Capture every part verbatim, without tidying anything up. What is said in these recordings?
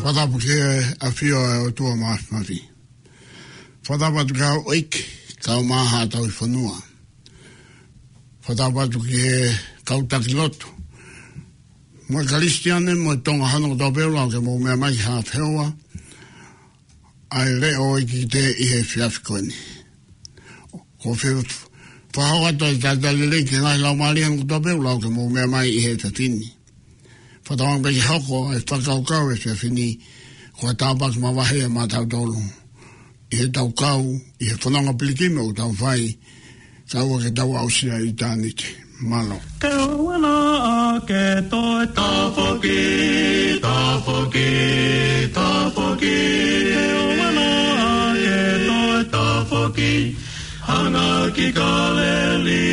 Fakatapu ki he ʻafio ʻa e ʻOtua Māfimafi. Fakatapu atu ki he houʻeiki, kaeʻumaʻā haʻa tauhi fonua. Fakatapu atu ki he kau taki lotu, mo e Kalisitiane, mo e Tonga hono kotoa pē ʻoku lava ke mou meʻa mai ki he feohi ʻa e leʻo ʻo e ʻEiki ʻi he efiafi ko eni. ʻOku ou fie fakahoko atu ʻa e talitali lelei ki he ngaahi laumālie hono kotoa pē ʻoku lava ke mou meʻa mai ʻi he efiafi ni. Fakatauange pē ke hoko ʻa e fakakaukau ʻo e efiafi ni ko ha tāpuaki mavahe maʻatautolu ʻi heʻetau kau ʻi he fononga pilikimi ʻoku tau fai, kae ʻoua ke tau aʻusia ʻa ʻitāniti. Mālō. Ke ʻoua naʻa ke toe tafoki, tafoki, tafoki. Ke ʻoua naʻa ke toe tafoki, hanga ki Kāleli.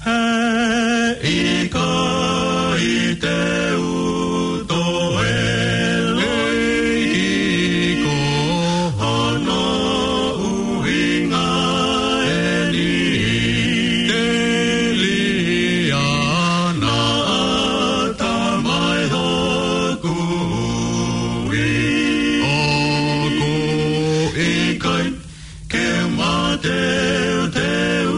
He ʻikai te u toe loi ki ko hono ʻuhinga eni. Telia naʻa ta mai hoku ui. ʻOku ʻikai ke mateuteu.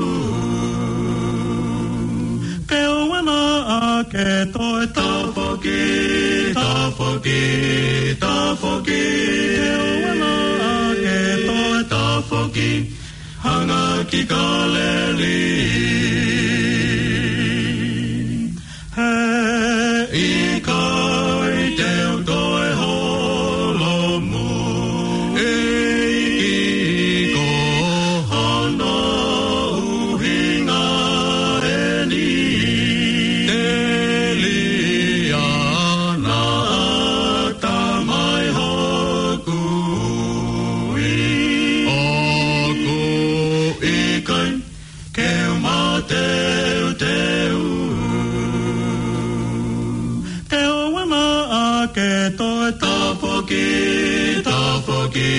Ke ʻoua naʻa ke toe tafoki, tafoki, tafoki. Ke ʻoua naʻa ke toe tafoki, hanga ki Kāleli. He ʻikai te u toe holomui ki ko hono ʻuhinga eni. Telia naʻa ta mai hoku ui. ʻOku ʻikai ke mateuteu. Ke ʻoua naʻa ke toe tafoki, tafoki,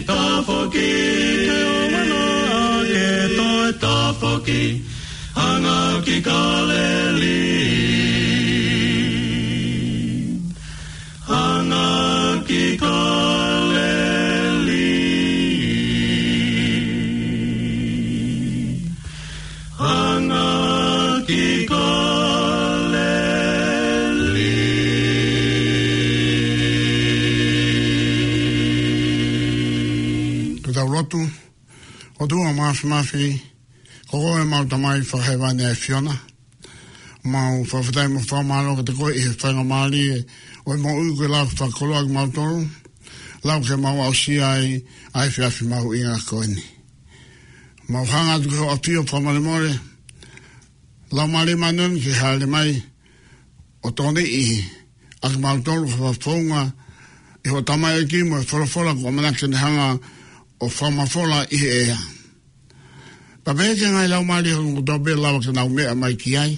tafoki. Ke ʻoua naʻa ke toe tafoki, hanga ki Kāleli. Hanga ki Kāleli. Hanga ki Kāleli. Ke tau lotu. ʻOtua Māfimafi, ko koe ʻemau Tamai Fakahēvani ʻa e ʻAfiona. Mau fakafetaʻi mo fakamālō kiate koe ʻi he faingamālie ʻo e moʻui kuo ke lava ke fakakoloa kimautolu, lava ke mau aʻusia ai ʻa e efiafi mahuʻinga ko eni. Mau hanga atu ki hoʻo ʻafio fakamolemole, Laumālie Māʻoniʻoni ke hāʻele mai ʻo tokoniʻi ʻa kimautolu ke fakafounga ʻi hoʻo tamaioʻeiki mo e folofola kuo ʻamanaki ke ne hanga ʻo fakamafola ʻi he ʻea. Pea pehē ki he ngaahi laumālie hono kotoa pē ʻe lava ke nau meʻa mai ki ai,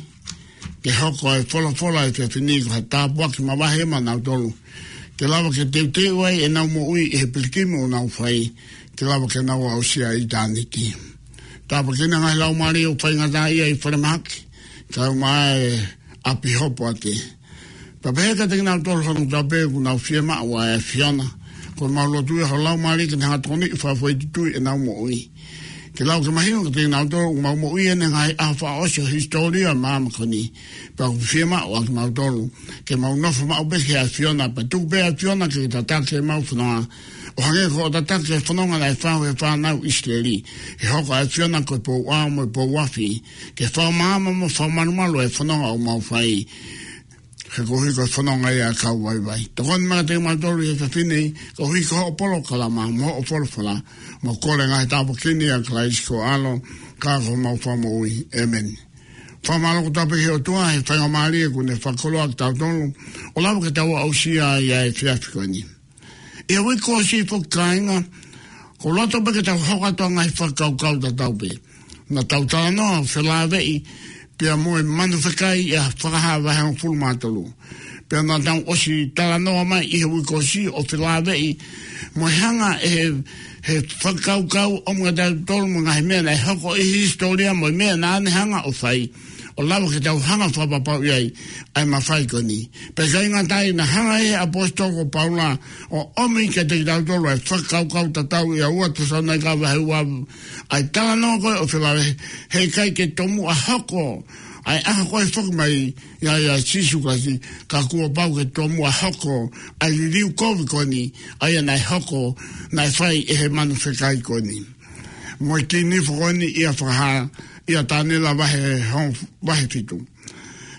ke hoko ʻa e folofola ʻo e efiafi ni ko ha tāpuaki mavahe maʻanautolu, ke lava ke teuteu ai ʻenau moʻui ʻi he pilikimi ʻoku nau fai, ke lava ke nau aʻusia ʻa ʻitāniti. Tāpuakiʻi ʻa e ngaahi laumālie ʻoku faingataʻaʻia ʻi falemahaki, kaeʻumaʻā e ʻapi hopoate. Pea pehē kiate kinautolu hono kotoa pē ʻoku nau fiemaʻu ʻa e ʻAfiona, ko ʻemau lotu ia ho Laumālie ke ne hanga ʻo tokoniʻi fakafoʻituituʻi ʻenau moʻui. Ke lava ke mahino kiate kinautolu ʻoku mau moʻui ʻi he ngaahi ʻaho fakaʻosi ʻo e hisitōlia ʻo e māmani ko eni. Pea ʻoku fiemaʻu ʻa kimautolu ke mau nofo maʻu pē ki he ʻAfiona, pea tuku pē ʻa e ʻAfiona ke tataki ʻemau fononga, ʻo hangē ko hoʻo tataki e fononga naʻe fai ʻe he fānau ʻIsileli. Ke hoko ʻa e ʻAfiona ko e pou ʻao mo e pou afi, ke fakamaama mo fakamalumalu e fononga ʻoku mau fai. He koeʻuhi ko e fononga ia ʻa e kau vaivai. Tokoni mai kiate kimautolu ʻi he efiafi ni, koeʻuhi ko hoʻo polokalama mo hoʻo folofola, mo e kole ngaahi tāpuaki ni ʻia Kalaisi ko ho ʻAlo, ka ko homau Fakamoʻui. ʻĒmeni. Fakamālō kotoa pē ki he ʻOtua he faingamālie kuo ne fakakoloa kitautolu, ʻo lava ke tau aʻusia ʻa e efiafi ko eni. ʻI he uike kuo ʻosi foki kāinga, ʻoku ou loto pē ke tau hoko atu ʻa e ngaahi fakakaukau tatau pē naʻa tau talanoa felāveʻi pea mo e manu fekai ʻi he Fakahā vahe hongofulu mā tolu. Pea naʻa tau ʻosi talanoa mai ʻi he uike kuo ʻosi ʻo felāveʻi mo e hanga ʻe he, he fakakaukau ʻo e ngaahi tautolu mo e ngaahi meʻa naʻe hoko ʻi he hisitōlia mo e meʻa naʻa ne hanga ʻo fai, ʻo lava ke tau hanga ʻo fakapapauʻi ai ʻa e mafai ko eni. Pea ʻikai ngata ai, naʻe hanga ʻe he ʻaposetolo ko Paula ʻo ʻomi kiate kitautolu ʻa e fakakaukau tatau ia, ua Tesalonaika vahe ua, ʻa e talanoa ko ē ʻo felāveʻi, heʻikai ke tomuʻa hoko ʻa e ʻaho ko ē foki mai ia ʻia Sīsū Kalaisi, ka kuo pau ke tomuʻa hoko ʻa e liliu kovi ko eni, ʻa ia naʻe hoko, naʻe fai ʻe he manu fekai ko eni mo e kiʻi nifo ko eni ʻia Fakahā, ʻia Taniela vahe hong-, vahe fitu.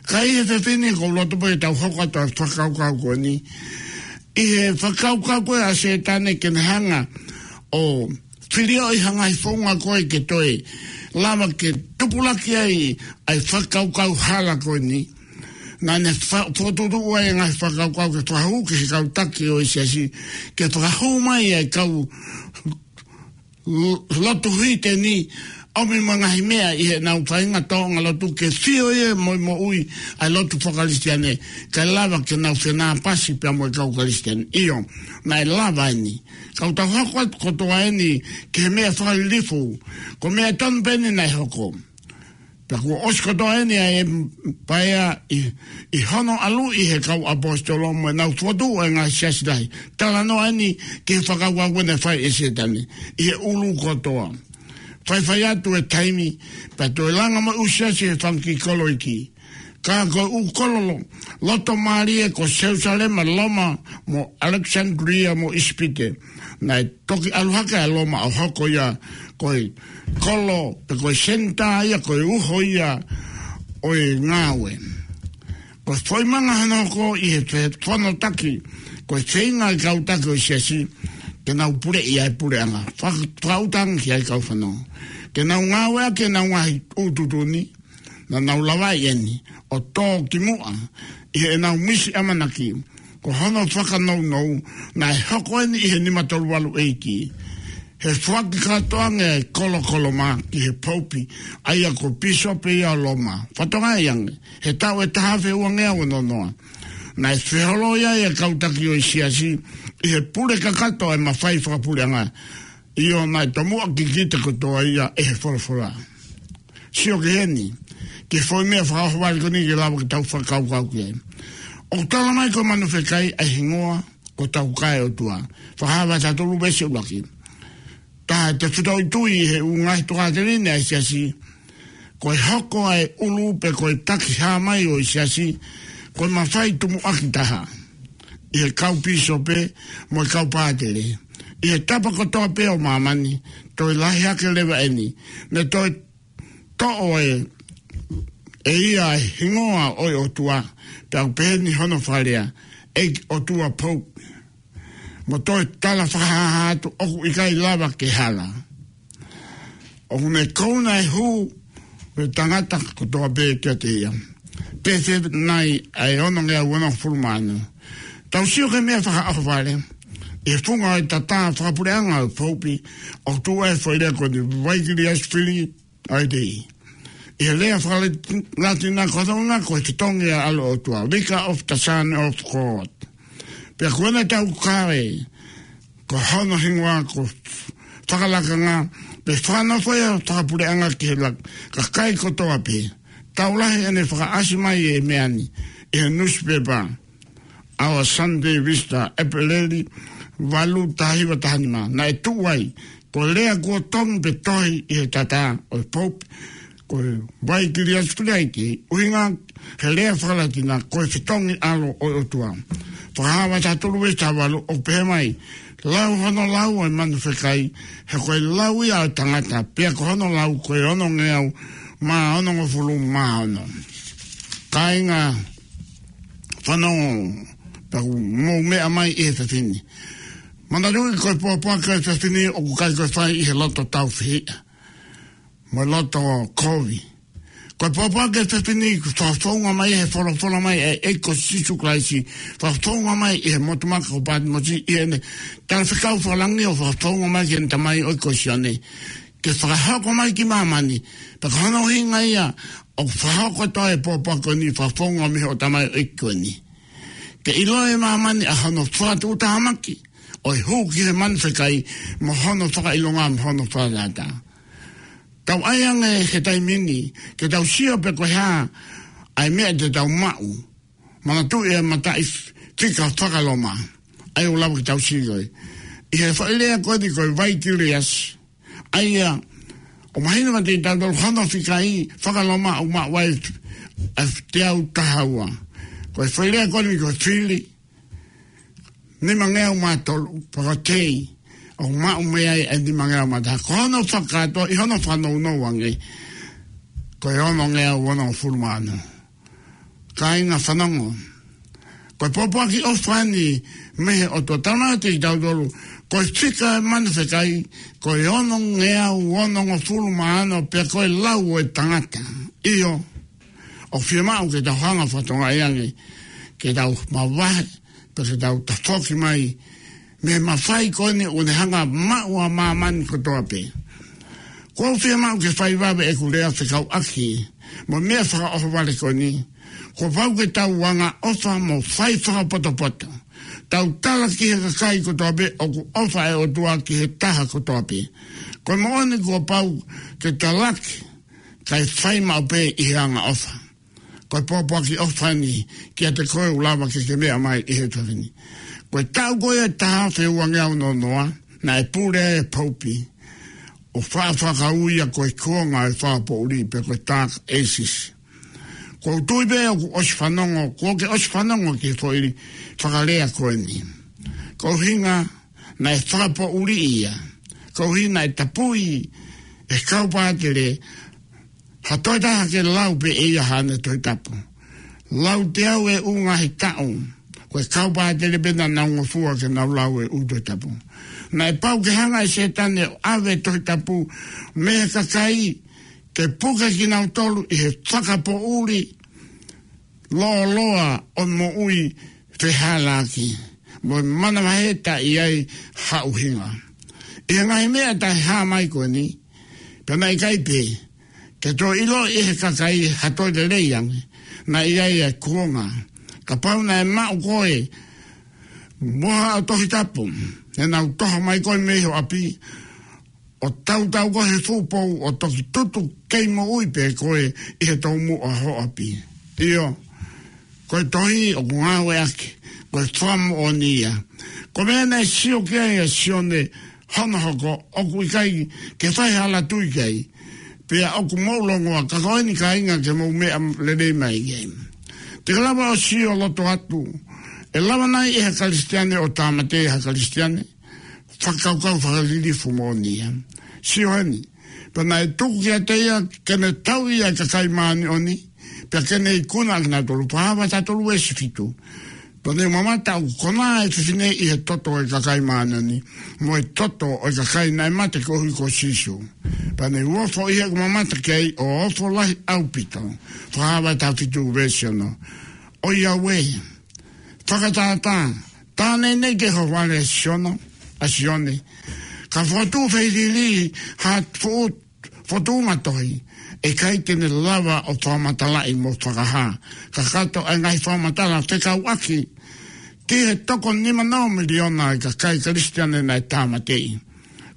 Ka ʻi he efiafi ni ʻoku ou loto pē ke tau hoko atu ʻa e fakakaukau ko eni, ʻi he fakakaukau ko ē ʻa Sētane ke ne hanga ʻo filioʻi ha ngaahi founga ko ē ke toe lava ke tupulaki ai ʻa e fakakaukau hala ko eni. Naʻa ne fa-, fokotuʻutuʻu ai e ngaahi fakakaukau ke fakahū ki he kau taki ʻo e siasi, ke fakahū mai ʻa e kau l-, lotu hiteni, ʻomi mo e ngaahi meʻa ʻi heʻenau faʻahinga tōʻonga lotu ke fio ia mo e moʻui ʻa e lotu fakakalisitiane, kae lava ke nau fenāpasi pea mo e kau Kalisitiane. ʻIo, naʻe lava eni. Ka ʻoku tau hoko atu kotoa eni ki he meʻa fakalilifu, ko e meʻa tonu pē eni naʻe hoko. Pea kuo ʻosi kotoa eni ʻa e paea ʻi, ʻi hono ʻalu ʻi he kau ʻaposetolo mo ʻenau fokotuʻu ʻa e ngaahi siasi lahi. Talanoa eni ki he fakakaukau ko ē naʻe fai ʻe Sētane ʻi he ʻulu kotoa. Faifai atu e taimi, pea toe langa mai ʻū siasi he fanga kiʻi kolo iiki. Ka ko e ʻū kolo lo-, loto mālie ko Selusalema, Loma, mo ʻAlekisanilia, mo ʻIsipite. Naʻe toki ʻalu hake ʻa Loma ʻo hoko ia ko e kolo, pe ko e senitā ia, ko e uho ia ʻo e ngāue. Ko e foʻi manga hono hoko ʻi he fe-, fano taki, ko e feinga ʻa e kau taki ʻo e siasi ke nau puleʻi ʻa e puleʻanga. Faka-, fakaʻuta ange ki ai kau fanongo. Ke nau ngāueʻaki ʻenau ngaahi ʻū tuʻutuʻuni, naʻa nau lavaʻi eni ʻo tō ki muʻa ʻi heʻenau misi ʻamanaki. Ko hono fakanounou, naʻe hoko eni ʻi he nima tolu valu ʻeiki, he foaki kātoa ange ʻa e kolo ko Loma ki he poupi, ʻa ia ko e pīsope ia ʻo Loma. Fatongia ange, he taʻu ʻe taha afe ua ngeau ono noa, naʻe feholo ia ʻa e kau taki ʻo e siasi ʻi he pule kakato ʻa e mafai fakapuleʻanga. ʻIo, naʻe tomuʻa kikite kotoa ia ʻe he folofola. Sio ki heni, ki he foʻi meʻa fakaʻohovale ko eni ke lava ke tau fakakaukau ki ai. ʻOku tala mai ko e manu fekai ʻa e hingoa ko Taukae ʻOtua. Fakahā vahe taha tolu veesi ʻuluaki. Taha e tefitoʻi tui ʻi he ʻū ngaahi tokāteline ʻa e siasi, ko e hoko ʻa e ʻulu pe ko e taki hā mai ʻo e siasi, ko e mafai tumuʻaki taha ʻi he kau pīsope mo e kau pātele ʻi he tapa kotoa pē ʻo māmani. Toe lahi hake leva eni, ne toe toʻo ʻe, ʻe ia e hingoa ʻo e ʻOtua, pea ʻoku pehē ni hono fakalea, ʻEiki ʻOtua Poupi. Mo toe tala fakahāhā atu ʻoku ʻikai lava ke hala. ʻOku ne kouna e hū ʻo e tangata kotoa pē kiate ia. Pehē nai ʻa e ono ngeau ono fulu mā ono. Tau sio ki he meʻa fakaʻohovale. ʻI he funga ʻo e tatā fakapuleʻanga ʻo e poupi, ʻoku tuʻu ai e foʻi lea ko eni, Vicarius Filii, ʻa e tei. ʻI he lea fakalatina ko hono ʻuhinga ko e fetongi ʻa e ʻAlo ʻo e ʻOtua, Vicar of the Son of God. Pea ko ʻene taukaveʻi, ko hono hingoa ko e fakalakanga, pe fakanofo ia ʻo e fakapuleʻanga ki he lak-, kakai kotoa pē. Tau lahi ʻene fakaʻasi mai e meʻa ni ʻi he nusipepa Our Sunday Visitor, ʻEpeleli valu, taha hiva taha nima. Naʻe tuʻu ai ko e lea kuo tongi pe tohi ʻi he tatā ʻo e poupi, ko e Vicarius Filii, ʻuhinga he lea fakalatina ko e fetongi ʻAlo ʻo e ʻOtua. Fakahā vahe taha tolu veesi taha valu, ʻoku pehē mai, lau hono lau ʻa e manu fekai, he ko e lau ia ʻo e tangata, pea ko hono lau ko e ono ngeau mā onongofulu mā ono. Kāinga fanongo, pea ʻoku mou meʻa mai ʻi he efiafi ni. Manatuʻi ko e pōpoaki ʻo e efiafi ni ʻoku ʻikai ko e fai ʻi he loto tāufehiʻa mo e loto kovi. Ko e pōpoaki ʻo e efiafi ni ʻoku fakafounga mai he folofola mai ʻa e ʻEiki ko Sīsū Kalaisi, fakafounga mai ʻi he motu maka ko Pātimosi, ʻi heʻene talafekau fakalangi ʻo fakafounga mai ki heʻene tamaioʻeiki ko Sione ke fakahoko mai ki māmani. Pea ko hono ʻuhinga ia ʻoku fakahoko atu ai e pōpoaki ko eni, fakafounga mei hoʻo tamaioʻeiki ko eni. ke ʻilo ʻe māmani ʻa hono fakatuʻutāmaki ʻo e hū ki he manu fekai mo hono fakaʻilonga mo hono fakatātā. Tau ʻai ange he taimi ni ke tau sio pe ko e hā ʻa e meʻa te tau maʻu. Manatuʻi e mataʻi fika faka-Loma. ʻA ia ʻoku lava ke tau sio ki ai. ʻI he foʻi lea ko eni ko e Vaikiliasi. ʻA ia, ʻoku mahino kiate kitautolu hono fika ʻi faka-Loma ʻoku maʻu ai ʻa e teau taha ua. Ko e foʻi lea ko eni ko e fili, nimangeau mā tolu, pea ko e tei, ʻoku maʻu mei ai ʻa e nimangeau mā taha. Ko hono fakakātoa, ʻi hono fakanounou ange, ko e onongeau onongofulu mā ono. Kāinga fanongo. Ko e pōpoaki ʻofa eni mei he ʻOtua, talamai kiate kitautolu, ko e fika e manu fekai, ko e onongeau onongofulu mā ono, pea ko e lau ʻo e tangata. ʻIo, ʻoku fiemaʻu ke tau hanga ʻo fakatokangaʻi ange, ke tau mavahe, pea ke tau tafoki mai mei he mafai ko eni ʻoku ne hanga ʻo maʻu ʻa māmani kotoa pē. Kuo u fiemaʻu ke fai vave ʻeku lea fekauʻaki mo e meʻa fakaʻohovale ko eni. Kuo pau ke tau angaʻofa mo fai fakapotopoto. Tau tala ki he kakai kotoa pē ʻoku ʻofa e ʻOtua ki he taha kotoa pē. Ko e moʻoni kuo pau ke talaki, kae fai maʻu pē ʻi he angaʻofa. Ko e pōpoaki ʻofa eni kiate koe ʻoku lava ke ke meʻa mai ʻi he efiafi ni. Ko e taʻu ko ia ʻe taha afe uangeau noa noa, naʻe pule ai e Poupi ʻo faʻa fakauia ko e kuonga e fakapoʻuli pe ko e Dark Ages. Kuo u tui pē ʻoku ʻosi fanongo, kuo ke ʻosi fanongo ki he foʻi fakalea ko eni. Ko e ʻuhinga naʻe fakapoʻuli ia. Ko e ʻuhinga naʻe tapui e kau pātele ha toe taha ke lau pē ʻe ia haʻane Tohi Tapu. Lau teau e ʻū ngaahi taʻu. Ko e kau pātele pē naʻa nau ngofua ke nau lau e ʻū Tohi Tapu. Naʻe pau ke hanga ʻe Sētane ʻo ʻave e Tohi Tapu mei he kakai ke puke kinautolu ʻi he fakapoʻuli lōloa ʻo e moʻui fehālaaki, mo e manavahē taʻe ʻi ai ha ʻuhinga. ʻI he ngaahi meʻa taʻehāmai ko eni, pea naʻe ʻikai pē ke toe ʻiloʻi ʻe he kakai ha toe lelei ange naʻe ʻi ai e kuonga. Kapau naʻe maʻu koe mo haʻo Tohi Tapu, ʻe nau toho mai koe mei ho ʻapi, ʻo tautau koe he fuʻu pou, ʻo toki tutu kei moʻui pē koe ʻi he toumuʻa ho ʻapi. ʻIo, ko e tohi ʻoku ngāueʻaki, ko e fakamoʻoni ia. Ko e meʻa naʻe sio ki ai ʻa Sione hono hoko, ʻoku ʻikai ke fai ha ala tui ki ai. Pea ʻoku mou longoaʻa, ka ko eni kāinga ke mou meʻa lelei mai ki ai. Te ke lava ʻo sio loto atu, ʻe lava nai ʻe ha Kalisitiane ʻo tāmateʻi ha Kalisitiane? Fakakaukau fakalilifu moʻoni ia. Sio heni. Pea naʻe tuku kiate ia ke ne tauʻi ʻa e kakai māʻoniʻoni, pea ke ne ikuna ʻakinautolu. Fakahā vahe taha tolu veesi fitu. Pea ne mamata ʻoku konā e fefine ʻi he toto ʻo e kakai māʻoniʻoni, mo e toto ʻo e kakai naʻe mate koeʻuhi ko Sīsū. Pea ne u ofo ʻi heʻeku mamata ki ai ʻo ofo lahi ʻaupito. Fakahā vahe taha fitu veesi ono. ʻOiauē, fakatātā, tā naʻe ʻi he hovale ʻa Sione, ʻa Sione. Ka fokotuʻu feilili ha foʻi fokotuʻunga tohi, ʻe ʻikai te ne lava ʻo fakamatalaʻi mo fakahā kakato ʻa e ngaahi fakamatala fekauʻaki ki he toko nima noa miliona ʻa e kakai Kalisitiane naʻe tāmateʻi.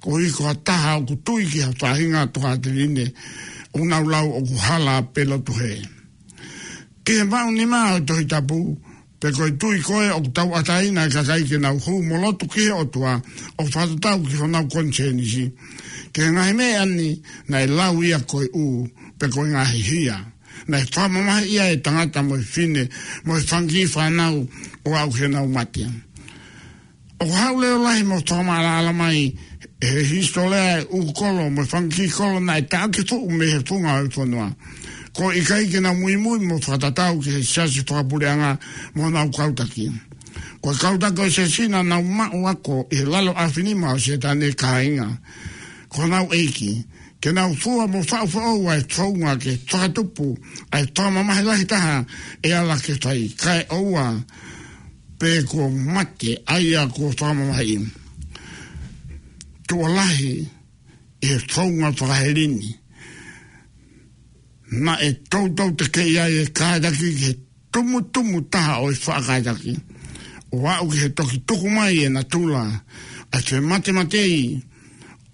Koeʻuhi ko ha taha ʻoku tui ki ha faʻahinga tokāteline, ʻoku nau lau ʻoku hala pē lotu hē. Ki he maʻunimā ʻo e Tohi Tapu, pe ko e tui ko ē ʻoku tauʻatāina e kakai ke nau hū mo lotu ki he ʻOtua, ʻo fakatatau ki honau konisēnisi. Ki he ngaahi meʻa ni, naʻe lau ia ko e ʻū, pe ko e ngaahi hia. Naʻe fakamamahiʻi ia ʻe he tangata mo e fefine, mo e fanga kiʻi fānau, ʻo aʻu ki heʻenau mate. ʻOku haʻu leʻo lahi mo fakamaʻalaʻala mai ʻe he hisitōlia e ʻū kolo mo e fanga kiʻi kolo naʻe taʻaki fuʻu mei he funga ʻo e fonua. Ko e ʻikai ke nau muimui mo fakatatau ki he siasi fakapuleʻanga mo honau kau taki. Ko e kau taki ʻo e siasi naʻa nau maʻu ako ʻi he lalo ʻaofinima ʻo Sētane, kāinga. Ko honau ʻeiki, ke nau fua mo faʻufaʻu ʻa e founga ke fakatupu ʻa e fakamamahi lahi taha ʻe ala ke fai, kae ʻoua pē kuo mate ʻa ia kuo fakamamahiʻi. Tuʻo lahi ʻi he founga fakaheli ni, naʻe toutou tekeʻi ai e kātaki ki he tumutumu taha ʻo e faʻa kātaki. ʻo aʻu ki he toki tuku mai e natula ʻa e fematemateʻi,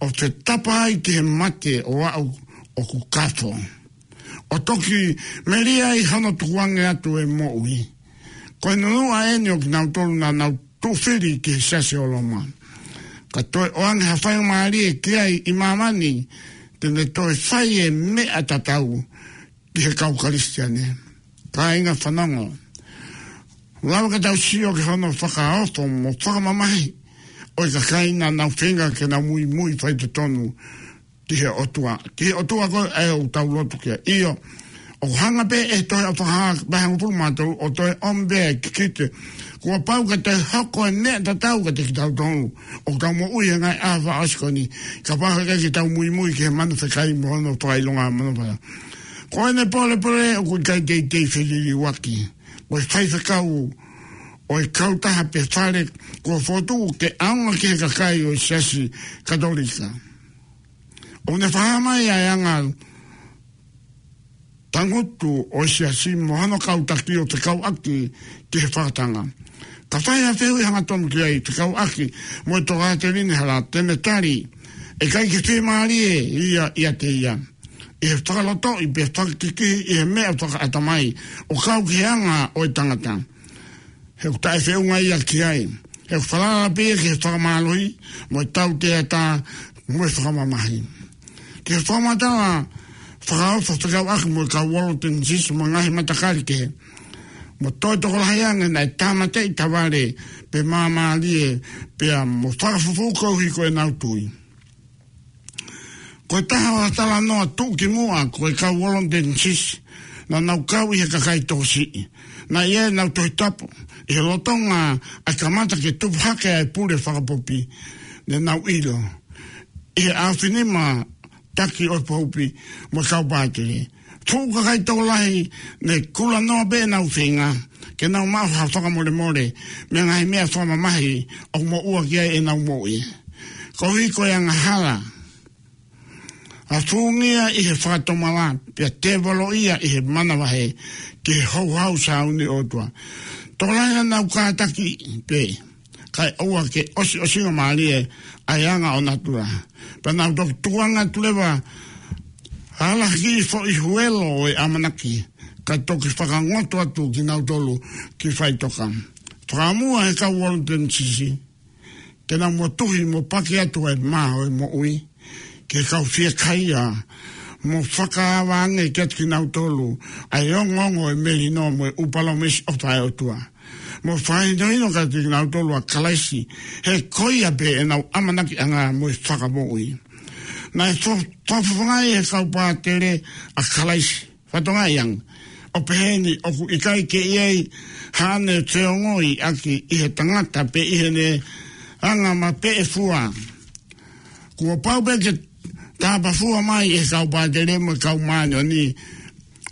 ʻo fetapa ai ki he mate ʻo aʻu ʻoku kafo, ʻo toki melie ai hono tukuange atu e moʻui. Ko e nunuʻa eni ʻo kinautolu naʻa nau tuʻu fili ki he Siasi ʻo Loma. Ka toe ʻoange ha faingamālie ki ai ʻi māmani, te ne toe fai e meʻa tatau ki he kau Kalisitiane. Kāinga fanongo, lava ke tau sio ki hono fakaofo mo fakamamahi ʻo e kakai naʻa nau feinga ke nau muimui faitotonu ki he ʻOtua, ki he ʻOtua ko ē ʻoku tau lotu ki ai. ʻIo, ʻoku hanga pē ʻe he tohi ʻa Fakahā vahe hongofulu mā tolu ʻo toe ʻomi pē e kikite kuo pau ke toe hoko e meʻa tatau kiate kitautolu ʻoku tau moʻui he ngaahi ʻaho fakaʻosi ko eni, kapau he ʻikai ke tau muimui ki he manu fekai mo hono fakaʻilonga manu fakaʻilonga. Ko ʻene pōlepole ʻoku ʻikai teitei feliliuaki. Ko e faifekau ʻo e kautaha pe fale kuo fokotuʻu ke ʻaonga ki he kakai ʻo e Siasi Katolika. ʻOku ne fakahā mai ʻa e anga tangutu ʻo e Siasi mo hono kau taki ʻo fekauʻaki ki he fakatanga. Ka fai ha fehuʻi hangatonu ki ai fekauʻaki mo e tokāteline hala, te ne tali ʻe ʻikai ke fiemālie ia ʻiate ia ʻi he fakalotoʻi pe fakakikihi ʻi he meʻa fakaʻatamai ʻo kau ki he anga ʻo e tangata. He ʻoku taʻefeʻunga ia ki ai. He ʻoku falala pē ia ki he fakamālohi mo e tauteatā mo e fakamamahi. Ki he fakamatala fakaofo fekauʻaki mo e kau Waldenses mo e ngaahi matakali kehe, mo toe tokolahi ange naʻe tāmateʻi tavale pe māmālie pea mo fakafufū koeʻuhi ko ʻenau tui. Ko e taha ʻo e talanoa tuʻukimuʻa ko e kau Waldenses naʻa nau kau ʻi he kakai tokosiʻi. Naʻe ʻi ai ʻenau Tohi Tapu ʻi he lolotonga ʻa e kamata ke tupu hake ʻa e pule fakapopi. Ne nau ʻilo ʻi he ʻaofinima taki ʻo e popi mo e kau pātele. Fuʻu kakai tokolahi ne kulanoa pē ʻenau feinga ke nau maʻu ha fakamolemole mei he ngaahi meʻa fakamamahi ʻoku moʻua ki ai ʻenau moʻui. Koeʻuhi ko e angahala, ʻa e fungia ʻi he fakatomala pea tēvoloʻia ʻi he manavahē ki he houhau sāuni ʻo e ʻOtua. Tokolahi naʻa nau kātaki pē, kae ʻoua ke ʻosiʻosingamālie ʻa e anga ʻo natula. Pea nau toki tukuange atu leva ha lahi kiʻi foʻi huelo ʻo e ʻamanaki, kae toki fakangoto atu kinautolu ki faʻitoka. Fakaʻamu ʻa e kau Waldenses ke nau motuhi mo paki atu ʻa e mā ʻo e moʻui ki he kau fiekaia, mo fakaava ange kiate kinautolu ʻa e ongoongo ʻo e melino mo e ʻū palōmesi ʻofa ʻa e ʻOtua, mo fakahinohino kiate kinautolu ʻa Kalaisi, he ko ia pē ʻenau ʻamanakiʻanga mo e fakamoʻui. Naʻe fo-, fakafofongaʻi ʻe he kau pātele ʻa Kalaisi, fatongia ange, ʻo pehē ni: ʻOku ʻikai ke ʻi ai haʻane feongoʻiʻaki ʻi he tangata pe ʻi heʻene anga mapeʻefua. Kuo pau pē ke tāpafua mai ʻe he kau pātele mo e kau māʻoniʻoni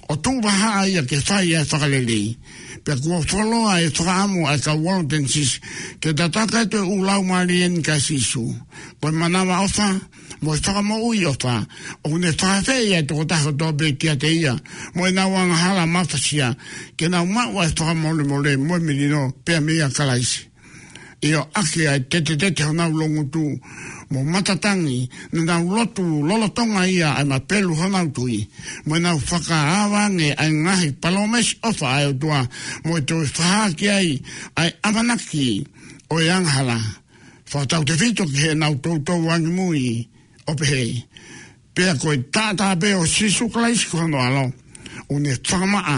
ʻo tuʻu vahaʻa ia ke fai ʻa e fakalelei. Pea kuo fuoloa e fakaʻamu ʻa e kau Waldenses ke tataki atu e ʻū laumālie ni kia Sīsū. Ko e manavaʻofa mo e fakamoʻuiʻofa ʻoku ne fakaafeʻi ʻa e tokotaha kotoa pē kiate ia mo ʻenau angahala mafasia, ke nau maʻu ʻa e fakamolemole mo e melino pea meia Kalaisi. ʻIo, ʻaki ʻa e tetetete honau loungutu mo matatangi, ne nau lotu lolotonga ia ʻa e mapelu honau tui, mo ʻenau fakaava ange ʻa e ngaahi palōmesi ʻofa ʻa e ʻOtua, mo e toe fakahā ki ai ʻa e ʻamanaki ʻo e angahala. Fakatautefito ki heʻenau toutou angimui ʻo pehē: Pea ko e taʻataʻa pē ʻo Sīsū Kalaisi ko hono ʻAlo, ʻoku ne fakamaʻa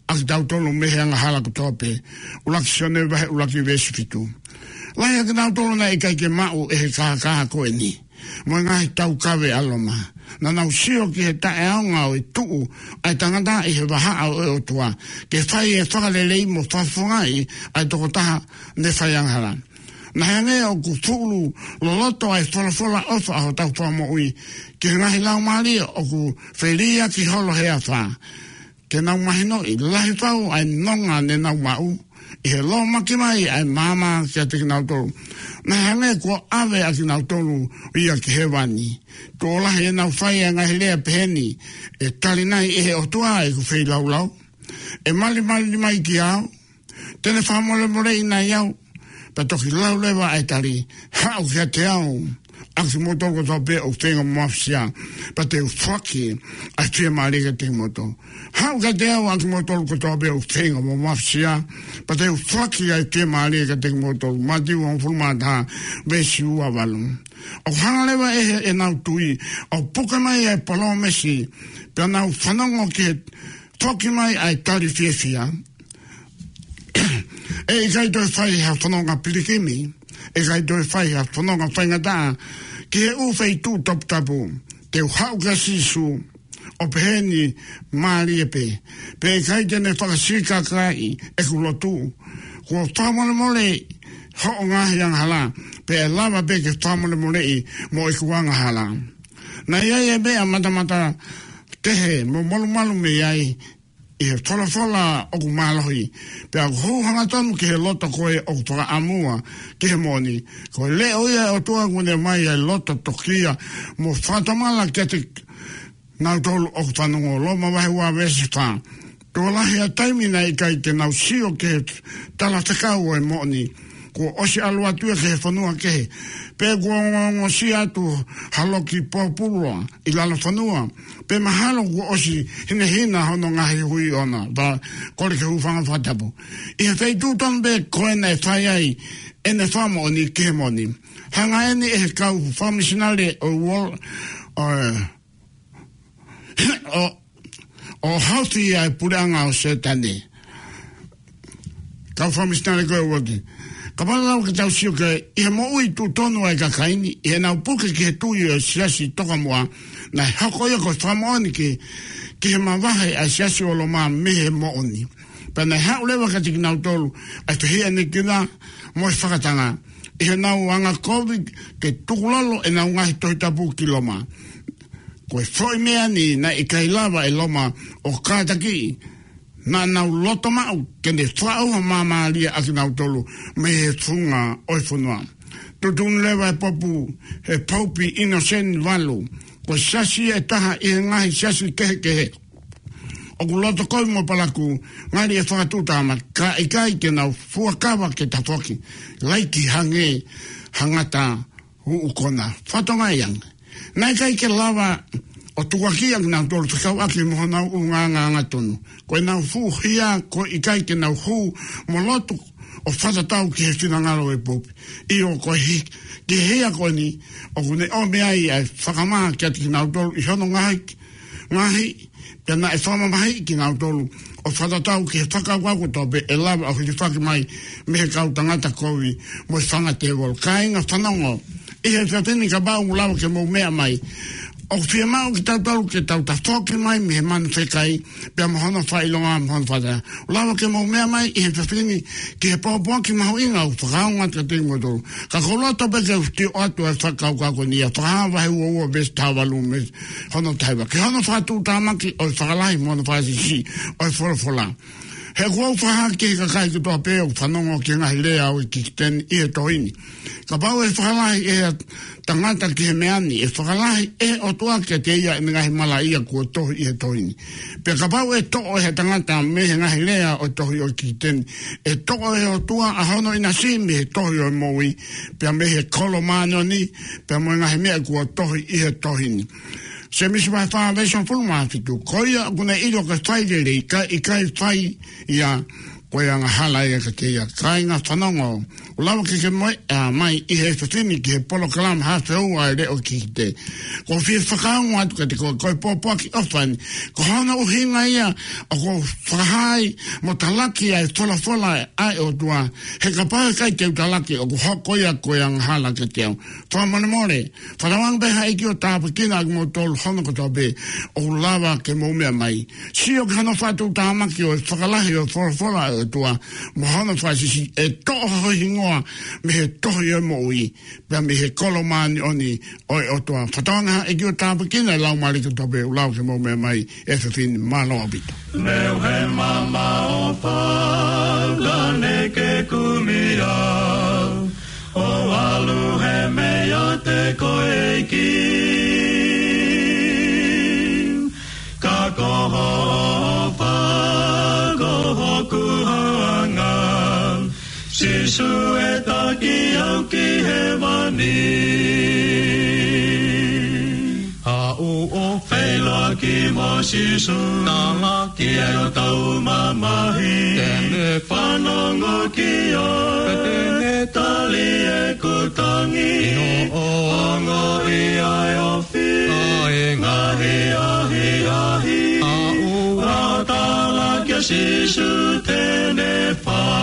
ʻa kitautolu mei he angahala kotoa pē. ʻUluaki Sione vahe ʻuluaki veesi fitu. Lahi ʻa kinautolu naʻe ʻikai ke maʻu ʻe he kākā ko eni mo e ngaahi taukave ʻa Loma. Naʻa nau sio ki he taʻeʻaonga ʻo e tuʻu ʻa e tangata ʻi he vahaʻa ʻo e ʻOtua ke fai e fakalelei mo fakafofongaʻi ʻa e tokotaha ne fai angahala. Naʻe hangē ʻoku fuʻu loloto ʻa e folofola ʻofa ʻa hotau Fakamoʻui ki he ngaahi laumālie ʻoku feliʻaki holo he afā, ke nau mahinoʻi lahi fau ʻa e nonga ne nau maʻu ʻi he lōmaki mai ʻa e maama kiate kinautolu. Naʻe hangē kuo ʻave ʻa kinautolu ia ki hēvani. Tuʻo lahi ʻenau fai ʻa e ngaahi lea pehē ni: ʻE tali nai ʻe he ʻOtua ʻeku feilaulau? ʻE malimali mai kiate au? Te ne fakamolemoleʻi nai au? Pea toki lau leva ʻa e tali, haʻu kiate au, ʻa kimoutolu kotoa pē ʻoku feinga mo mafasiá, pea te u foaki ʻa e fiemālie kiate kimoutolu. Haʻu kiate au, ʻa kimoutolu kotoa pē ʻoku feinga mo mafasiá, pea te u foaki ʻa e fiemālie kiate kimoutolu. Mātiu hongofulu mā taha, veesi ua valu. ʻOku hanga leva ʻe he, ʻenau tui, ʻo puke mai ʻa e palōmesi, pea nau fanongo ki he foki mai ʻa e tali fiefia. ʻE ʻikai toe fai ha fononga pilikimi, ʻe ʻikai toe fai ha fononga faingataʻa ki he ʻū feituʻu toputapu. Te u haʻu kia Sīsū, ʻo pehē ni mālie pē. Pea ʻikai te ne fakasikakaaʻi ʻeku lotu. Kuo fakamolemoleʻi hoʻo ngaahi angahalá, pea ʻe lava pē ke fakamolemoleʻi mo ʻeku angahalá. Naʻe ʻi ai e meʻa matamata kehe mo malumalu mei ai, ʻi he folofola ʻoku mālohi, pea ʻoku hū hangatonu ki he loto ko ē ʻoku fakaʻamua ki he moʻoni. Ko e leʻo ia ʻo e ʻOtua kuo ne ʻomai ʻa e loto tokia mo fakatomala kiate kinautolu ʻoku fanongo. Loma vahe ua veesi fā. Tuʻo lahi ʻa e taimi naʻe ʻikai te nau sio ki he talafekau ʻo e moʻoni. Kuo ʻosi ʻalu atu ia ki he fonua kehe. Pea kuo ongosia atu ha loki pōpula ʻi lalo fonua. Pea mahalo kuo ʻosi hinehina hono ngaahi hui ʻoʻona. Pea kole ke u hūfanga he fakatapu. ʻI he feituʻu tonu pē ko ē naʻe fai ai ʻene fakamoʻoni ki he moʻoni. Hanga eni ʻe he kau fakamisinale ʻo e Uō-, ʻo e ʻo, ʻo haofi ʻa e puleʻanga ʻo Sētane. Kau fakamisinale ko ē ʻoku ʻi ai. Kapau leva ke tau sio ki he moʻui tuʻutuʻuni ʻa e kakai ni, ʻi heʻenau puke ki he tui ʻo e siasi tokamuʻa, naʻe hoko ia ko e fakamoʻoni ki, ki he mavahe ʻa e siasi ʻo Loma mei he moʻoni. Pea naʻe haʻu leva kiate kinautolu ʻa e fehiʻanekina mo e fakatanga, ʻi heʻenau angakovi ke tukulolo ʻenau ngaahi Tohi Tapu ki Loma. Ko e foʻi meʻa ni naʻe ʻikai lava ʻe Loma ʻo kātakiʻi, naʻa nau loto maʻu ke ne fakaʻauha māmālie ʻa kinautolu mei he funga ʻo e fonua. Tuʻutuʻuni leva ʻe he popu, ʻe he Pope Innocent valu, ko e siasi ʻe taha ʻi he ngaahi siasi kehekehe ʻoku loto kovi mo palakū, ngali ʻe fakatuʻutāmaki, ka ʻikai ke nau fuakava ke tafoki, laiki hangē ha ngata uʻu kona. Fatongia ange. Naʻe ʻikai ke lava ʻo tukuakiʻi ʻa kinautolu fekauʻaki mo honau ʻulungaanga angatonu. Ko ʻenau fuʻu hia, ko e ʻikai ke nau hū mo lotu ʻo fakatatau ki he finangalo ʻo e pope. ʻIo, ko e hia, ki he hia ko eni, ʻoku ne ʻomai ai ʻa e fakamā kiate kinautolu ʻi hono ngaahi, ngaahi, pea naʻe fakamamahiʻi kinautolu ʻo fakatatau ki he fakakaukau kotoa pē ʻe lava ʻo hilifaki mai mei he kau tangata kovi mo e fanga tēvolo. Kāinga fanongo, ʻi he efiafi ni, kapau ʻoku lava ke mou meʻa mai, ʻoku fiemaʻu kitautolu ke tau tafoki mai mei he manu fekai, pea mo hono fakaʻilonga, mo hono fakatātā. ʻOku lava ke mou meʻa mai ʻi he efiafi ni ki he pōpoaki mahuʻinga ʻoku fakaongo atu kiate kimoutolu. Ka ʻoku ou loto pē ke u sio atu ʻa e fakakaukau ko eni ʻia Fakahā vahe ua ua veesi taha valu mei hono taha hiva. Ki hono fakatuʻutāmaki ʻo e fakalahi mo hono fakasiʻisiʻi ʻo e folofola. He ʻoku ou fakahā ki he kakai kotoa pē ʻoku fanongo ki he ngaahi lea ʻo e kikite ni ʻi he tohi ni. Kapau ʻe fakalahi ʻe ha tangata ki he meʻa ni, ʻe fakalahi ʻe he ʻOtua kiate ia ʻene ngaahi malaʻia kuo tohi ʻi he tohi ni. Pea kapau ʻe toʻo ʻe ha tangata mei he ngaahi lea ʻo e tohi ʻo e kikite ni, ʻe toʻo ʻe he ʻOtua ʻa hono ʻinasi mei he tohi ʻo e moʻui, pea mei he kolo māʻoniʻoni, pea mo e ngaahi meʻa kuo tohi ʻi he tohi ni. Sēmisi vahe fā veesi hongofulu mā fitu. Ko ia ʻoku ne ʻilo ke fai lelei, ka ʻikai fai ia, ko e angahala ia kiate ia. Kāinga fanongo, ʻoku lava ke ke mou meʻa mai ʻi he efiafi ni ki he polokalama Hā Feua ʻa e Leʻo Kikite. ʻOku ou fie fakaongo atu kiate koe, ko e pōpoaki ʻofa eni. Ko hono ʻuhinga ia ʻoku ou fakahā ai mo talaki ʻa e folofola ʻa e ʻOtua. He kapau ʻe ʻikai te u talaki, ʻoku hoko ia ko e angahala kiate au. Fakamolemole, fakatauange pē ʻe he ʻEiki ʻo tāpuekina ʻa kimoutolu hono kotoa pē ʻoku lava ke mou meʻa mai. Sio ki hono fakatuʻutāmaki ʻo e fakalahi ʻo e folofola ʻa e ʻOtua mo hono fakasiʻisiʻi, ʻe toʻo ho hingoa mei he tohi ʻo e moʻui, pea mei he kolo māʻoniʻoni ʻo e ʻOtua. Fakatauange ʻe he ʻEiki ʻo tāpuekina e laumālie kotoa pē ʻoku lava ke mou meʻa mai he efiafi ni. Mālō ʻaupito. Neu he mama o fau, ka ne ke kumi au. ʻO ʻalu he mei ʻiate koe ʻEiki. Ka ko hoʻo ʻofa ko hoku hoanga. Sīsū Sīsū ʻe taki au ki hēvani. Haʻu ʻo feʻiloaki mo Sīsū. Talaki ʻe hotau mamahi. Te ne fanongo ki ai. Te ne tali ʻeku tangi. ʻI hoʻo ongoʻi ʻa e ʻofa. ʻA e ngaahi ʻahiʻahi. ʻA ʻoua ʻe talaki ʻa Sīsū te ne fai.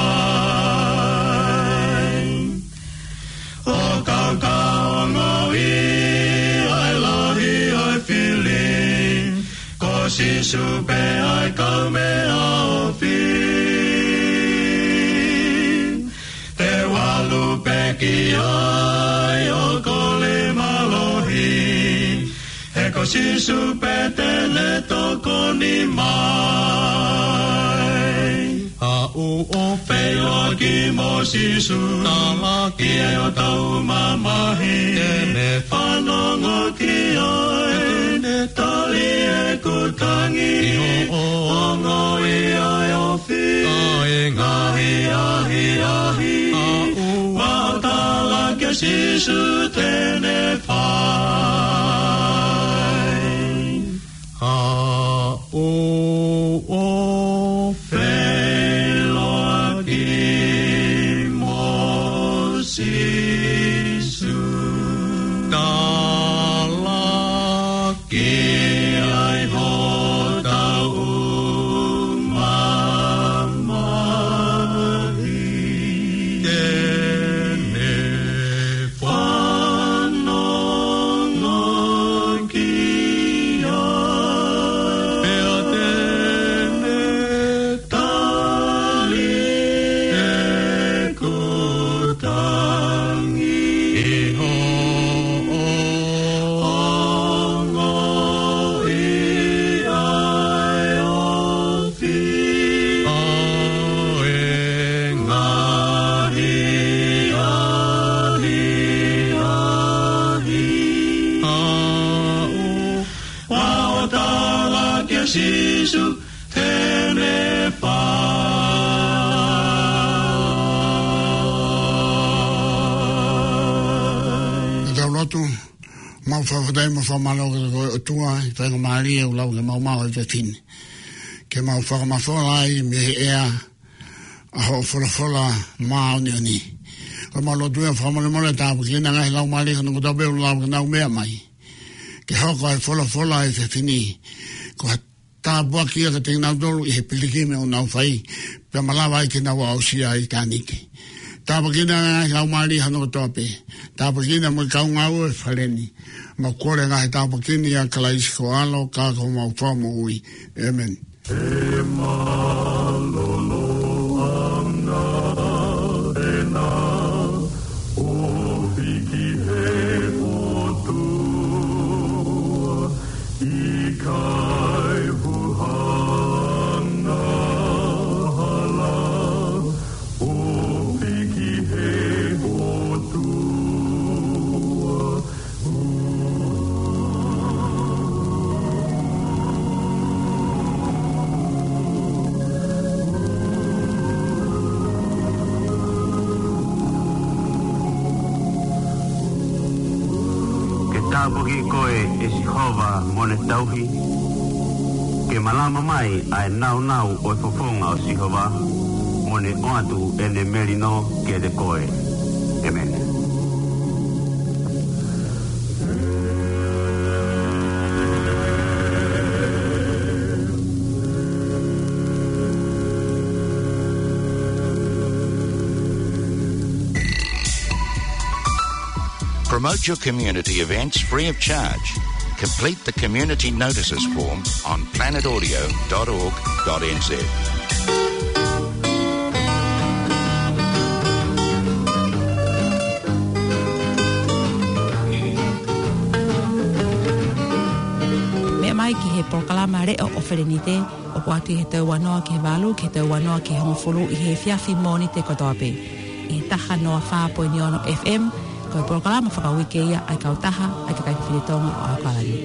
ʻO kau ka ongoʻi ʻa e lahi ʻo e fili. Ko Sīsū pē ʻa e kaumeʻa ofi. Te u ʻalu pē ki ai ʻo kole mālohi. He ko Sīsū pē te ne tokoni mai. Haʻu ʻo feʻiloaki mo Sīsū. Talaki ʻe hotau mamahi. Te ne fanongo ki ai. Te ne tali ʻeku tangi. ʻI hoʻo ongoʻi ʻa e ʻofa. ʻA e ngaahi ʻahiʻahi. ʻA ʻoua ʻe talaki ʻa Sīsū te ne fai. Haʻu ʻo feʻiloaki mo Sīsū. Talaki ʻe hotau mamahi. Te ne fanongo ki ai. Pea te ne tali ʻeku tangi. ʻI hoʻo ongoʻi ʻa e ʻofa. ʻA e ngaahi ʻahiʻahi. ʻA ʻoua ʻe talaki ʻa Sīsū te ne fai. Tau lotu. Mau fakafetaʻi mo fakamālō kiate koe ʻOtua, ʻi he faingamālie ʻoku lau ke mau maʻu ʻa e efiafi ni. Ke mau fakamafola ai mei he ʻea ʻa hoʻo folofola māʻoniʻoni. Ko ʻemau lotu ia fakamolemole, tāpuakiʻi ʻa e ngaahi laumālie hono kotoa pē ʻoku lau ke nau meʻa mai. Ke hoko ʻa e folofola ʻo e efiafi ni ko ha tāpuaki ia kiate kinautolu ʻi he pilikimi ʻoku nau fai, pea malava ai ke nau aʻusia ʻa ʻitāniti. Tāpuakiʻi ʻa e ngaahi laumālie hono kotoa pē. Tāpuakiʻi mo e kau ngāue ʻo e fale ni. Mau kole ʻa e ngaahi tāpuaki ni ʻia Kalaisi ko ho ʻAlo, ka ko homau Fakamoʻui. ʻĒmeni. ʻE mālōlō ʻa e ngaahi ʻofa ʻo e ʻOtua, ʻikai huhanga hala, ʻofa ki he ʻOtua. Ke tāpuakiʻi koe ʻe Sihova mo ne tauhi. Ke malama mai ʻa e nāunau ʻo e fofonga ʻo Sihova, mo ne ʻoatu ʻene melino kiate koe. ʻĒmeni. Promote your community events free of charge. Complete the community notices form on planet audio dot org dot N Z. Meʻa mai ki he polokalama Leʻo ʻo Felenite, ʻoku ʻoatu ʻi he tau ua noa ki he valu, ki he tau ua noa ki he hongofulu ʻi he efiafi Mōnite kotoa pē. ʻI he taha noa fā poini ono F M, ko e polokalama fakauike ia ʻa e kautaha ʻa e kakai fefine Tonga ʻo ʻAokalani.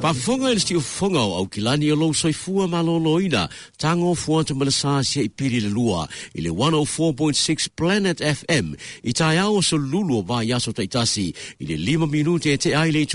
Fakafofonga ʻe he Siʻi Fofonga ʻo ʻAukilani ʻa e Lou Soifua Mālōlōina, tango fuata malasa sia ʻi Pili ʻe lua, ʻi he one oh four point six Planet F M, ʻi he taʻu ʻo Sōlulu ʻo e vaiaso taʻitasi, ʻi he lima minute ʻe teʻa ai le